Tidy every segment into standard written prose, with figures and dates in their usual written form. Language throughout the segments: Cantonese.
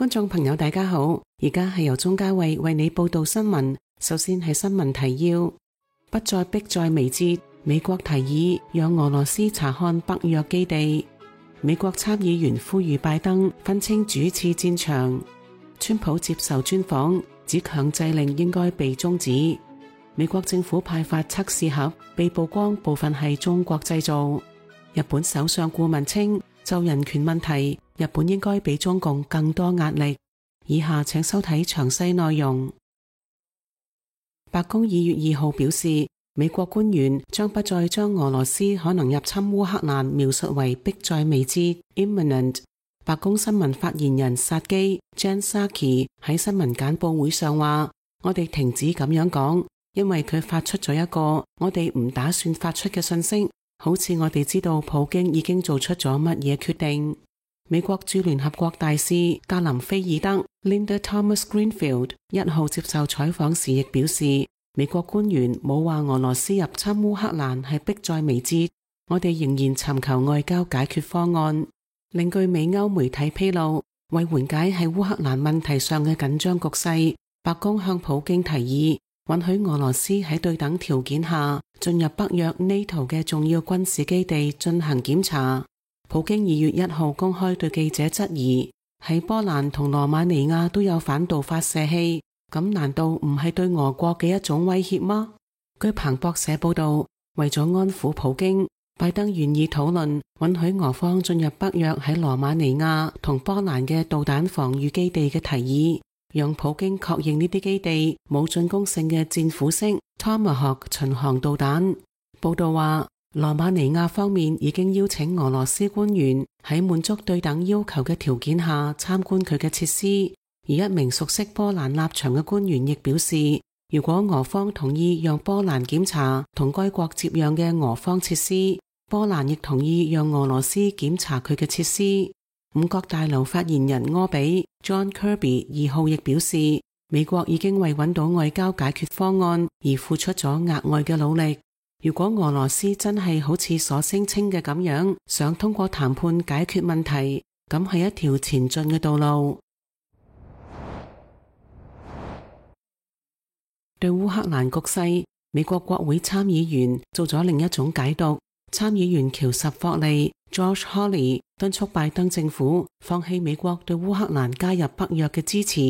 觀眾朋友大家好，而家係由鍾嘉慧為你報道新聞。首先係新聞提要：不再迫在眉睫，美國提議讓俄羅斯查看北約基地。美國參議員呼籲拜登分清主次戰場。川普接受專訪，指強制令應該被終止。美國政府派發測試盒，被曝光部分係中國製造。日本首相顧問稱，就人權問題，日本應該俾中共更多壓力。以下請收睇詳細內容。白宮2月2號表示，美國官員將不再將俄羅斯可能入侵烏克蘭描述為迫在眉睫 （imminent）。白宮新聞發言人薩基 Jen Psaki 喺新聞簡報會上話：我哋停止咁樣講，因為佢發出咗一個我哋唔打算發出嘅信息，好似我哋知道普京已經做出咗乜嘢決定。美國駐聯合國大使格林菲爾德 Linda Thomas-Greenfield 1號接受採訪時亦表示，美國官員冇話俄羅斯入侵烏克蘭係迫在眉睫，我哋仍然尋求外交解決方案。另據美歐媒體披露，為緩解喺烏克蘭問題上嘅緊張局勢，白宮向普京提議允許俄羅斯喺對等條件下進入北約 NATO 嘅重要軍事基地進行檢查。普京2月1號公開對記者質疑，喺波蘭同羅馬尼亞都有反導發射器，咁難道唔係對俄國嘅一種威脅嗎？據彭博社報道，為咗安撫普京，拜登願意討論允許俄方進入北約喺羅馬尼亞同波蘭嘅導彈防禦基地嘅提議，讓普京確認呢啲基地冇進攻性嘅戰斧式 Tomahawk 巡航導彈。報道話，羅馬尼亞方面已經邀請俄羅斯官員喺滿足對等要求嘅條件下參觀佢嘅設施，而一名熟悉波蘭立場嘅官員亦表示，如果俄方同意讓波蘭檢查同該國接壤嘅俄方設施，波蘭亦同意讓俄羅斯檢查佢嘅設施。五角大樓發言人柯比 John Kirby 2號亦表示，美國已經為揾到外交解決方案而付出咗額外嘅努力。如果俄羅斯真係好似所聲稱嘅咁樣，想通過談判解決問題，咁係一條前進嘅道路。對烏克蘭局勢，美國國會參議員做咗另一種解讀。參議員喬什霍利 Josh Hawley 敦促拜登政府放棄美國對烏克蘭加入北約嘅支持，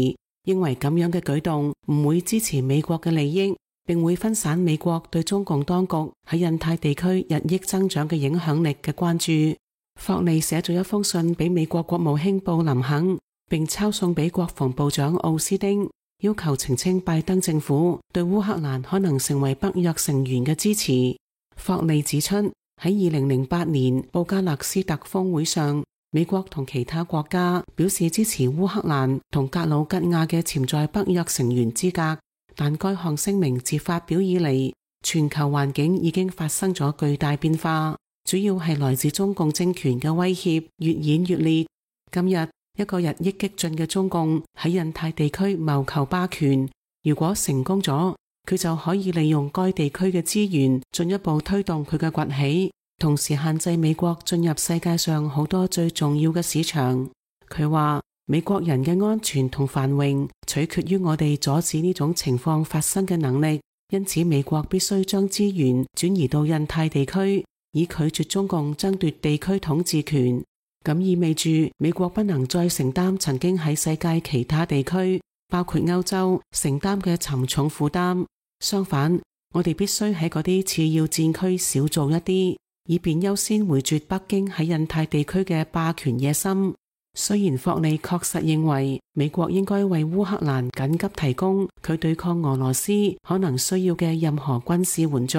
認為咁樣嘅舉動唔會支持美國嘅利益，並會分散美國對中共當局喺印太地區日益增長嘅影響力嘅關注。霍利寫咗一封信俾美國國務卿布林肯，並抄送俾國防部長奧斯丁，要求澄清拜登政府對烏克蘭可能成為北約成員嘅支持。霍利指出，喺2008年布加勒斯特峰會上，美國同其他國家表示支持烏克蘭同格魯吉亞嘅潛在北約成員資格，但該項聲明自發表以嚟，全球環境已經發生咗巨大變化，主要係來自中共政權嘅威脅越演越烈。今日一個日益激進嘅中共喺印太地區謀求霸權，如果成功咗，佢就可以利用該地區嘅資源進一步推動佢嘅崛起，同時限制美國進入世界上好多最重要嘅市場。佢話，美國人嘅安全同繁榮取決於我哋阻止呢種情況發生嘅能力，因此美國必須將資源轉移到印太地區，以拒絕中共爭奪地區統治權。咁意味住美國不能再承擔曾經喺世界其他地區，包括歐洲承擔嘅沉重負擔。相反，我哋必須喺嗰啲次要戰區少做一啲，以便優先回絕北京喺印太地區嘅霸權野心。雖然霍利確實認為美國應該為烏克蘭緊急提供佢對抗俄羅斯可能需要嘅任何軍事援助，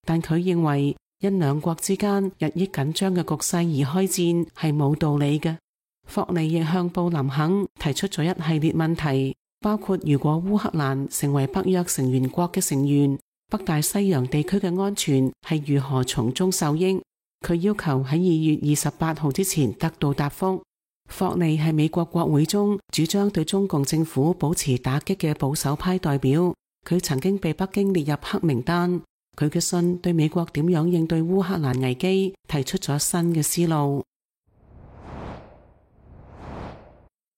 但佢認為因兩國之間日益緊張嘅局勢而開戰係冇道理嘅。霍利亦向布林肯提出咗一系列問題，包括如果烏克蘭成為北約成員國嘅成員，北大西洋地區嘅安全係如何從中受益。佢要求喺2月28號之前得到答覆。霍利係美國國會中主張對中共政府保持打擊嘅保守派代表，佢曾經被北京列入黑名單。佢嘅信對美國點樣應對烏克蘭危機提出咗新嘅思路。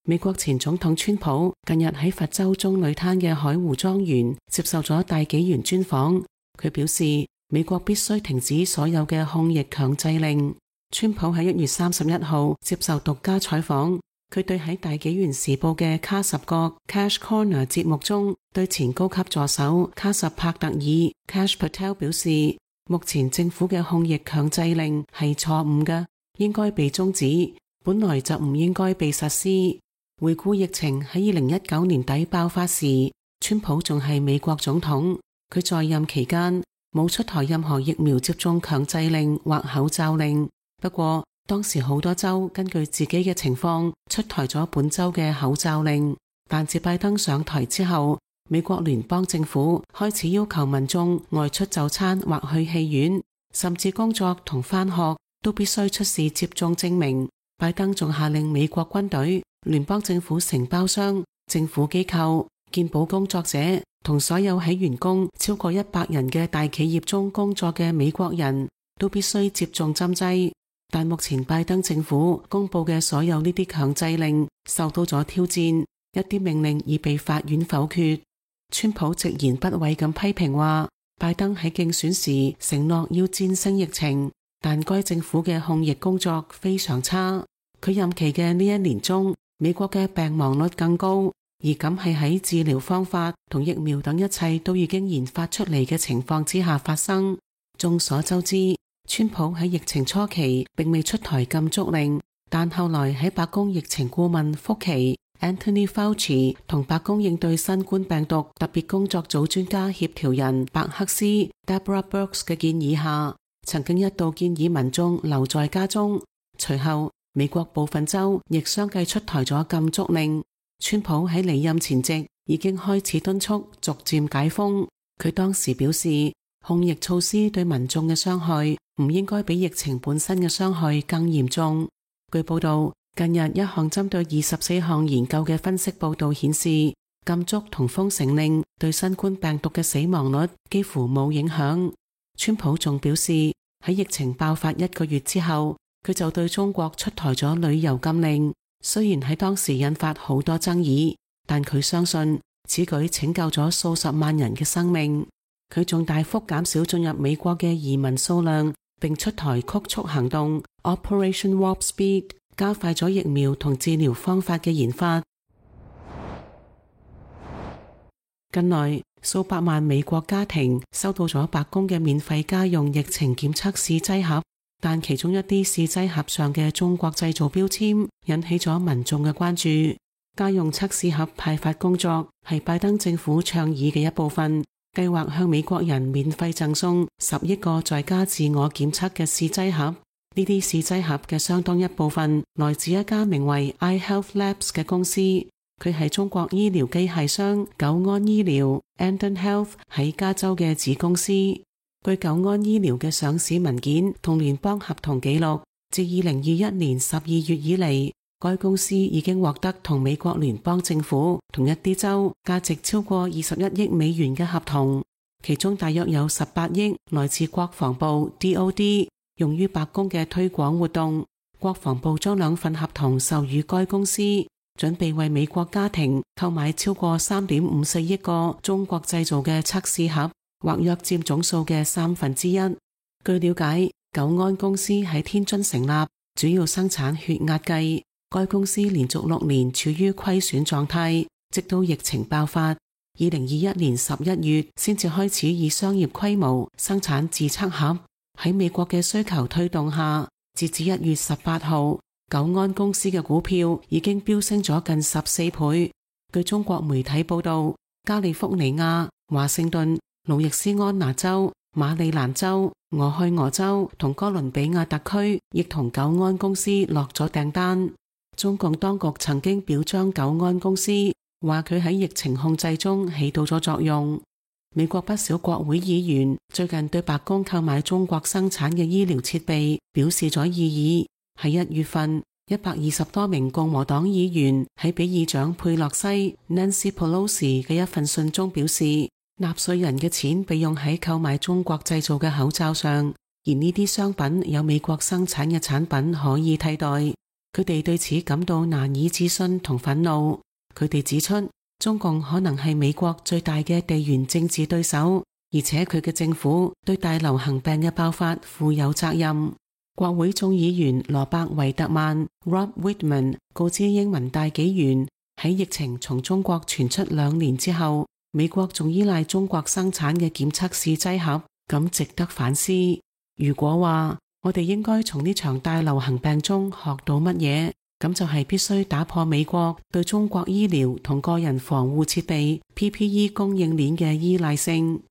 美國前總統川普近日喺佛州中女灘嘅海湖莊園接受咗大紀元專訪，佢表示美國必須停止所有嘅控疫強制令。川普喺1月31號接受獨家採訪，佢對喺大紀元時報嘅卡什角 Cash Corner 節目中對前高級助手卡什帕特爾 Kash Patel 表示，目前政府嘅控疫強制令係錯誤嘅，應該被終止，本來就唔應該被實施。回顧疫情喺2019年底爆發時，川普仲係美國總統，佢在任期間冇出台任何疫苗接種強制令或口罩令。不過當時好多州根據自己嘅情況出台咗本州嘅口罩令，但自拜登上台之後，美國聯邦政府開始要求民眾外出就餐或去戲院，甚至工作同返學都必須出示接種證明。拜登仲下令美國軍隊、聯邦政府承包商、政府機構、健保工作者同所有喺員工超過100人嘅大企業中工作嘅美國人都必須接種針劑。但目前拜登政府公布嘅所有呢啲強制令受到咗挑戰，一啲命令已被法院否決。川普直言不諱咁批評話，拜登喺競選時承諾要戰勝疫情，但該政府嘅控疫工作非常差。佢任期嘅呢1年中，美國嘅病亡率更高，而咁係喺治療方法同疫苗等一切都已經研發出嚟嘅情況之下發生。眾所周知，川普喺疫情初期並未出台禁足令，但後來喺白宮疫情顧問福奇 Anthony Fauci 同白宮應對新冠病毒特別工作組專家協調人白克斯 Deborah Birx 嘅建議下，曾經一度建議民眾留在家中。隨後美國部分州亦相繼出台咗禁足令。川普喺離任前夕已經開始敦促逐漸解封。佢當時表示，控疫措施對民眾嘅傷害唔應該比疫情本身嘅傷害更嚴重。據報道，近日一項針對24項研究嘅分析報道顯示，禁足同封城令對新冠病毒嘅死亡率幾乎冇影響。川普仲表示，喺疫情爆發1個月之後，佢就對中國出台咗旅遊禁令，雖然喺當時引發好多爭議，但佢相信此舉拯救咗數十萬人嘅生命。佢仲大幅減少進入美國嘅移民數量，並出台曲速行動 Operation Warp Speed， 加快咗疫苗同治療方法嘅研發。近來數百萬美國家庭收到咗白宮嘅免費家用疫情檢測試劑盒，但其中一啲試劑盒上嘅中國製造標籤引起咗民眾嘅關注。家用測試盒派發工作係拜登政府倡議嘅一部分，計劃向美國人免費贈送10億個在家自我檢測嘅試劑盒。呢啲試劑盒嘅相當一部分來自一家名為 iHealth Labs 嘅公司，佢係中國醫療機械商久安醫療 Andon Health 喺加州嘅子公司。據久安醫療嘅上市文件同聯邦合同記錄，自2021年12月以嚟，該公司已經獲得同美國聯邦政府同一啲州價值超過21億美元嘅合同，其中大約有18億來自國防部 DOD， 用於白宮嘅推廣活動。國防部將2份合同授予該公司，準備為美國家庭購買超過3.54億個中國製造嘅測試盒，或約佔總數嘅1/3。據了解，久安公司喺天津成立，主要生產血壓計。該公司連續6年處於虧損狀態，直到疫情爆發，2021年11月先至開始以商業規模生產自測盒。喺美國嘅需求推動下，截至1月18號，久安公司嘅股票已經飆升咗近14倍。據中國媒體報道，加利福尼亞、華盛頓、路易斯安那州、馬里蘭州、俄亥俄州同哥倫比亞特區亦同久安公司落咗訂單。中共當局曾經表彰久安公司，話佢喺疫情控制中起到咗作用。美國不少國會議員最近對白宮購買中國生產嘅醫療設備表示咗異議。喺1月份，120多名共和黨議員喺俾議長佩洛西 Nancy Pelosi 嘅一份信中表示，納稅人嘅錢被用喺購買中國製造嘅口罩上，而呢啲商品有美國生產嘅產品可以替代。佢哋對此感到難以置信同憤怒。佢哋指出，中共可能係美國最大嘅地緣政治對手，而且佢嘅政府對大流行病嘅爆發負有責任。國會眾議員羅伯維特曼 Rob Wittman 告知英文大紀元，喺疫情從中國傳出2年之後，美國仲依賴中國生產嘅檢測試劑盒，咁值得反思。如果話我哋應該從呢場大流行病中學到乜嘢，咁就係必須打破美國對中國醫療同個人防護設備 PPE 供應鏈嘅依賴性。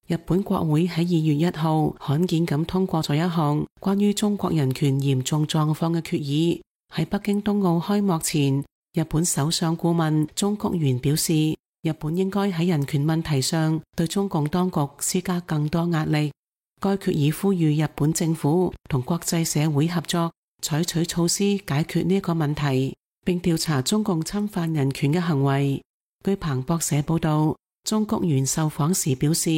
日本國會喺2月1號罕見咁通過咗一項關於中國人權嚴重狀況嘅決議。喺北京冬奧開幕前，日本首相顧問中谷元表示，日本應該喺人權問題上對中共當局施加更多壓力。該決議呼籲日本政府同國際社會合作，採取措施解決呢個問題，並調查中共侵犯人權嘅行為。據彭博社報道，中谷元受訪時表示，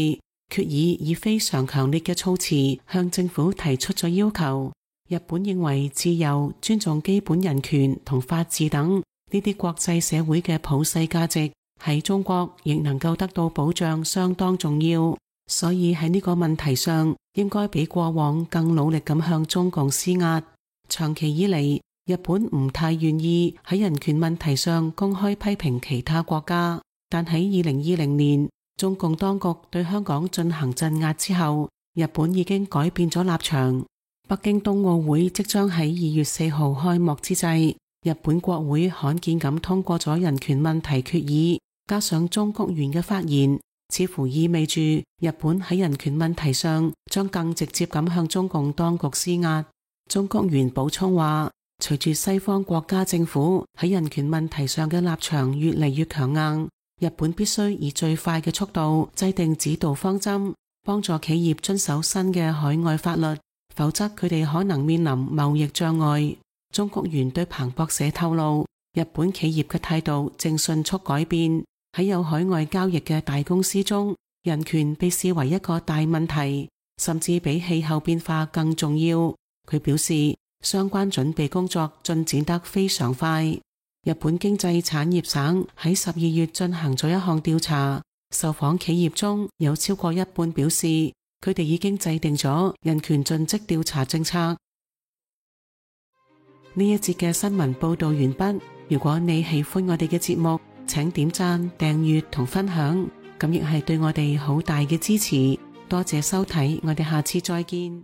決議以非常強烈嘅措辭向政府提出咗要求。日本認為自由、尊重基本人權同法治等呢啲國際社會嘅普世價值喺中國亦能夠得到保障，相當重要。所以喺呢個問題上，應該比過往更努力咁向中共施壓。長期以嚟，日本唔太願意喺人權問題上公開批評其他國家，但喺2020年，中共當局對香港進行鎮壓之後，日本已經改變咗立場。北京冬奧會即將喺2月4號開幕之際，日本國會罕見咁通過咗人權問題決議，加上中谷元嘅發言，似乎意味住日本喺人權問題上將更直接咁向中共當局施壓。中谷元補充話，隨住西方國家政府喺人權問題上嘅立場越嚟越強硬，日本必須以最快嘅速度制定指導方針，幫助企業遵守新嘅海外法律，否則佢哋可能面臨貿易障礙。中谷元對彭博社透露，日本企業嘅態度正迅速改變，喺有海外交易嘅大公司中，人權被視為一個大問題，甚至比氣候變化更重要。佢表示，相關準備工作進展得非常快。日本經濟產業省喺12月進行咗一項調查，受訪企業中有超過一半表示，佢哋已經制定咗人權盡職調查政策。呢一節嘅新聞報道完畢。如果你喜歡我哋嘅節目，請點讚、訂閱同分享，咁亦係對我哋好大嘅支持。多謝收睇，我哋下次再見。